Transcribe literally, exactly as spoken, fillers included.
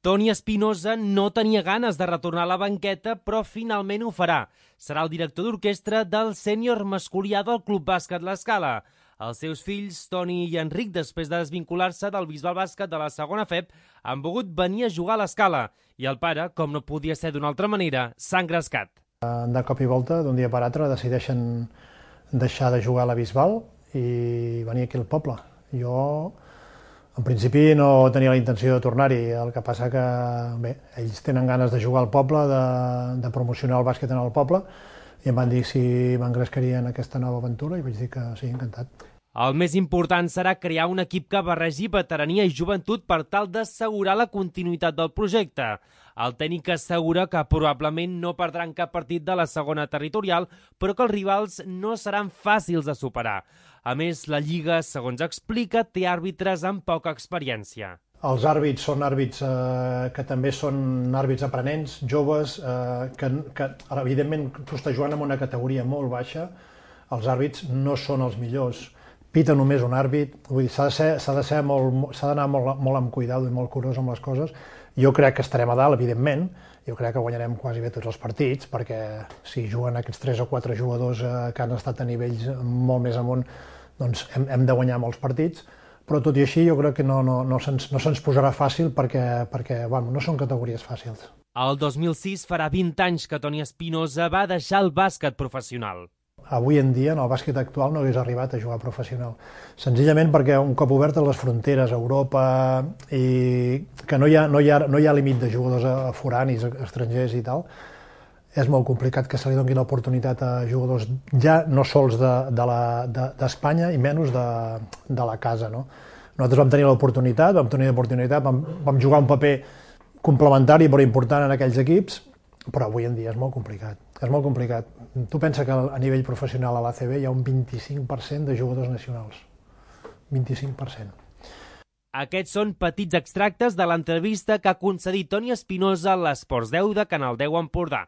Toni Espinosa no tenia ganes de retornar a la banqueta, però finalment ho farà. Serà el director d'orquestra del sènior masculià del Club Bàsquet L'Escala. Els seus fills, Toni i Enric, després de desvincular-se del Bisbal Bàsquet de la segona F E B, han volgut venir a jugar a l'Escala. I el pare, com no podia ser d'una altra manera, s'ha engrescat. De cop i volta, d'un dia per altre, decideixen deixar de jugar a la Bisbal i venir aquí al poble. Jo, en principi, no tenia la intenció de tornar-hi, el que passa que, bé, ells tenen ganes de jugar al poble, de, de promocionar el bàsquet en el poble, i em van dir si m'engrescaria en aquesta nova aventura, i vaig dir que sí, encantat. El més important serà crear un equip que barregi veterania i joventut per tal d'assegurar la continuïtat del projecte. El tècnic assegura que probablement no perdran cap partit de la segona territorial, però que els rivals no seran fàcils de superar. A més, la Lliga, segons explica, té àrbitres amb poca experiència. Els àrbits són àrbits eh, que també són àrbits aprenents, joves, eh, que, que evidentment tu estàs jugant en una categoria molt baixa, els àrbits no són els millors. Pita només un àrbit, vull dir, s'ha de ser, s'ha de ser molt, s'ha d'anar molt, molt amb cuidado i molt curós amb les coses. Jo crec que estarem a dalt, evidentment, jo crec que guanyarem quasi bé tots els partits, perquè si juguen aquests tres o quatre jugadors eh, que han estat a nivells molt més amunt, doncs hem, hem de guanyar molts partits, però tot i així jo crec que no, no, no se'ns no se'ns posarà fàcil perquè, perquè bueno, no són categories fàcils. El dos mil sis farà vint anys que Toni Espinosa va deixar el bàsquet professional. Avui en dia, en el bàsquet actual, no hagués arribat a jugar professional. Senzillament perquè un cop obertes les fronteres a Europa i que no hi ha, no hi ha, no hi ha límit de jugadors foranis, estrangers i tal, és molt complicat que se li doni l'oportunitat a jugadors ja no sols d'Espanya de, de, i menys de, de la casa. No? Nosaltres vam tenir l'oportunitat, vam tenir l'oportunitat, vam, vam jugar un paper complementari però important en aquells equips, però avui en dia és molt complicat. És molt complicat. Tu pensa que a nivell professional a l'A C B hi ha un vint-i-cinc per cent de jugadors nacionals. vint-i-cinc per cent. Aquests són petits extractes de l'entrevista que ha concedit Toni Espinosa a l'Esports deu de Canal deu Empordà.